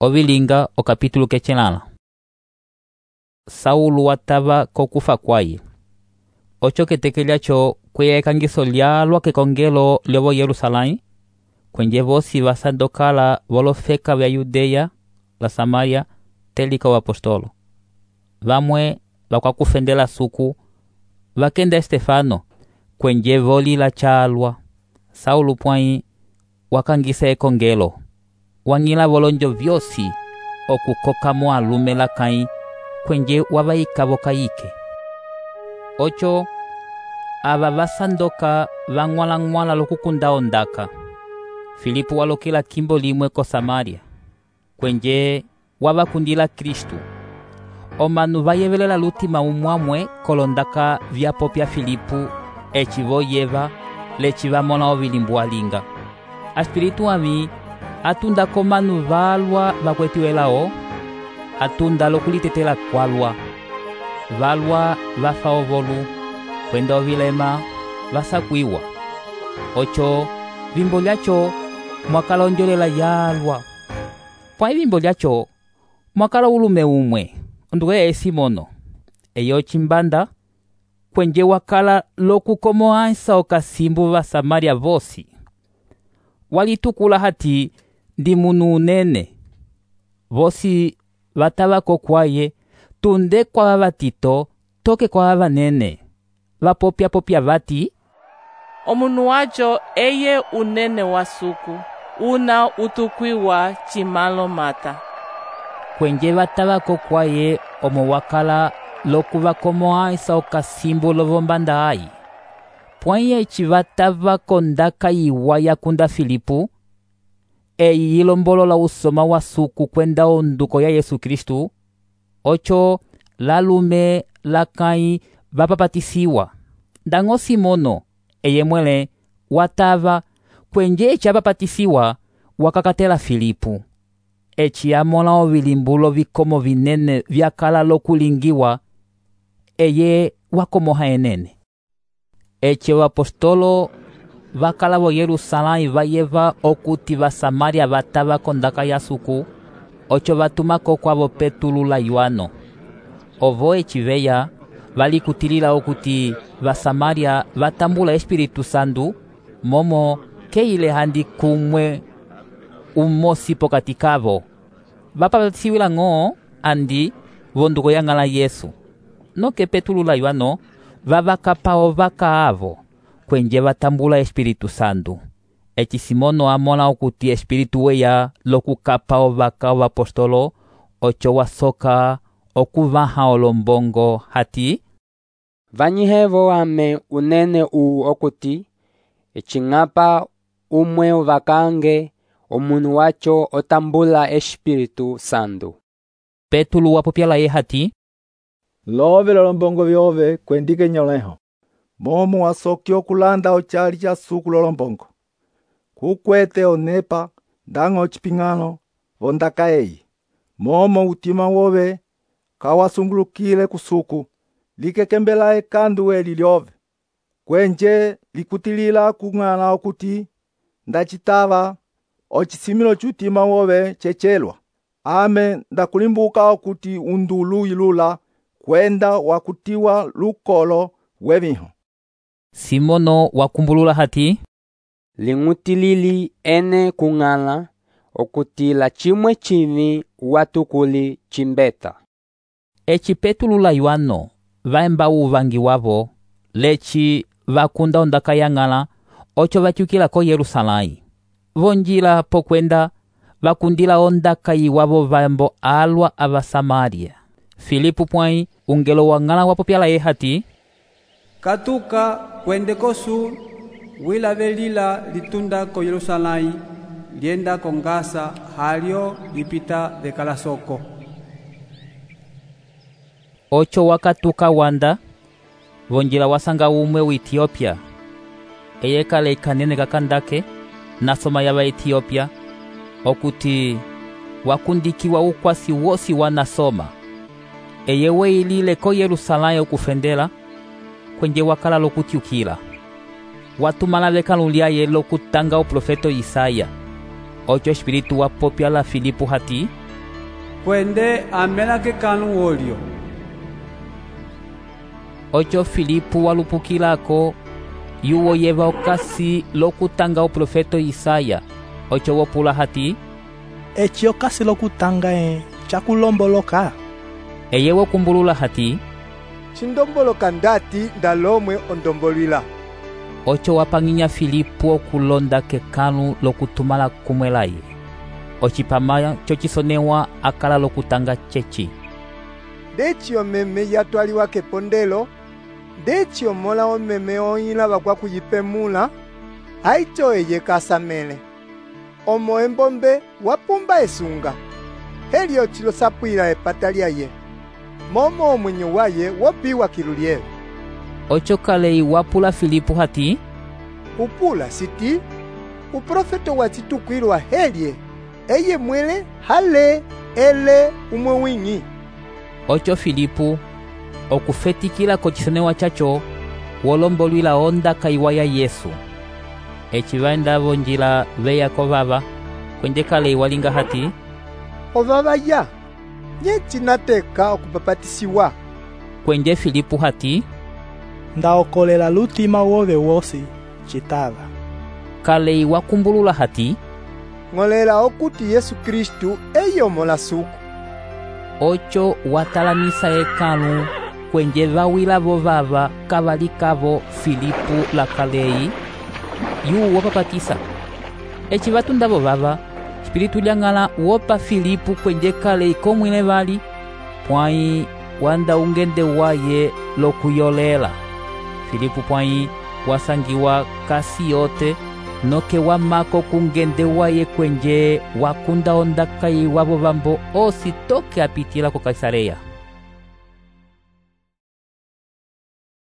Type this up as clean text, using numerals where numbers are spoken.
Ovilinga okapítulo kechelala. Saulo watava kokufa kwaye. Ocho ketekelyacho kweya ekangiso lyalwa kekongelo lyovo Yerusalém, kwenje vosi vasandokala volofeka vya Yudeya la Samaria telika wa apostolo. Vamwe vakwakufendela suku, vakenda Estefano, kwenje voli la chalwa. Saulo pwai wakangisa ekongelo, wang'ila volonjo vyosi okukokamo alume lakãyi kwenje wavaikavo kayike. Ocho ava vasandoka vang'wala-ng'wala lokukunda ondaka. Filipo walokela kimbo limwe ko Samaria, kwenje wavakundila Kristu. Omanu vayevelela lutima umwamwe kolondaka vyapopya Filipo eci voyeva leci vamona ovilimbu alinga. Aspiritu ami atunda komanu valwa vakwetiwelao, atunda lokulitetela kwalwa. Valwa vafa ovolu, kwenda ovilema vasakwiwa. Ocho vimbo lyacho mwakalonjolela yalwa. Pwai vimbo lyacho mwakala ulume umwe, onduwe Simono, eyo chimbanda, kwenje wakala lokukomoansa okasimbu va Samaria vosi. Walitukula hati ndi munu unene. Vosi vatavako kwaye, tunde kwa vatito, toke kwa vanene. Vapopya vati, omunu wacho eye unene wa suku, una utukwiwa chimalo mata. Kwenje vatavako kwaye omo wakala lokuvakomoansa okasimbu lovombanda ai. Pwanye chivatavako ndaka iwa yakunda Filipo, eyi ilombolola usoma wa suku kwenda onduko ya Yesu Kristu. Ocho lalume lakãyi vapapatisiwa. Ndango Simono, eye mwele watava kwenje eci apapatisiwa wakakatela Filipo. Eci amona ovilimbulo vikomo vinene vyakala lokulingiwa, eye wakomoha enene. Eci apostolo vakala vo Yerusalém vayeva okuti va Samaria vatava kondaka ya suku. Ocho vatumako kwavo Petulu la Yohano. Ovo eci veya valikutilila okuti va Samaria vatambula Espiritu Santu, momo keile handi kumwe umosi pokati kavo. Vapapatisiwila ng'o andi vonduko yang'ala Yesu. Noke Petulu la Yohano vavakapao vakaavo kwenje vatambula Espiritu Santu. Eci Simono amona okuti Espiritu weya lokukapao vakao apostolo. Ocho wasoka okuvaha olombongo hati, vanyihevo ame unene okuti ecing'apa umwe vakange omunu wacho otambula Espiritu Santu. Petulu wapopyala ye hati, love lolombongo vyove kwendike nyoleho. Momo wasoki okulanda ochali cha suku lolombongo. Kukwete onepa ndango chipingano vondaka eyi. Momo utima wove kawasungulukile kusuku likekembela ekandu eli lyove. Kwenje likutilila kung'ala okuti ndachitava ochisimilo chutima wove chechelwa. Ame ndakulimbuka okuti undulu ilula kwenda wakutiwa lukolo weviho. Simono wakumbulula hati, ling'utilili ene kung'ala okuti la chimwe chivi watukuli chimbeta. Eci Petulu la Yohano vaemba uvangi wavo, leci vakunda ondaka yang'ala. Ocho vatyukila ko Yerusalém. Vonjila pokwenda vakundila ondaka iwavo vaembo alwa ava Samaria. Filipo pwai ungelo wang'ala wapopyala ye hati, katuka kwende kosu wilavelila litunda ko Yerusalém lienda kongasa halyo lipita vekalasoko. Ocho wakatuka wanda vonjila wasanga umwe wa Etiopia, eye kale ikanene kakandake nasoma yava Etiopia, okuti wakundikiwa ukwasi wosi wanasoma. Eye weilile ko Yerusalém okufendela, kwenje wakala lokutyukila. Watumala vekalu lyaye lokutanga uprofeto Isaya. Ocho Espiritu wapopyala Filipo hati, kwende amela kekãlu wolyo. Ocho Filipo walupukilako yuwoyeva okasi lokutanga uprofeto Isaya. Ocho wopula hati, eci okasi lokutanga cakulomboloka. eye wokumbulula hati, cindomboloka ndati ndalomwe ondombolwila. ocho wapang'inya Filipo okulonda kekãlu lokutumala kumwelaye. Ocipama cocisonewa akala lokutanga ceci. Ndeci omeme yatwaliwa kepondelo, ndeci omola omeme oñila vakwa kuyipemula, aico eye kasamele. Omo embombe wapumba esunga, helio cilosapwila epata lyaye, momo omwenyo waye wopiwa kilulielo. Ocho kalei wapula Filipo hati, upula siti, uprofeto wacitukwilwa helye, eye mwele hale ele umwe wing'i. Ocho Filipo okufetikila kocisonewa caco wolombolwila ondaka iwa ya Yesu. Eci vaendavo njila veyako vava, kwende kalei walinga hati, ovava ya, nye cinateka okupapatisiwa. kwende Filipo hati, Ndaokolela lutima wove wosi citava. kalei wakumbulula hati, ng'olela okuti Yesu Kristu eye omola suku. ocho watalamisa ekãlu kwende vawilavo vava kavalikavo Filipo la kalei yu wopapatisa. Eci vatundavo vava Espiritu lyang'ala wopa Filipo kwende kalei komwine vali pwãyi wanda ungende waye lokuyolela. Filipo pwãyi wasangiwa kasi yote noke wamako kungende waye kwenje wakunda ondaka iwavo vambo osi toke apitila ko Kaisareya.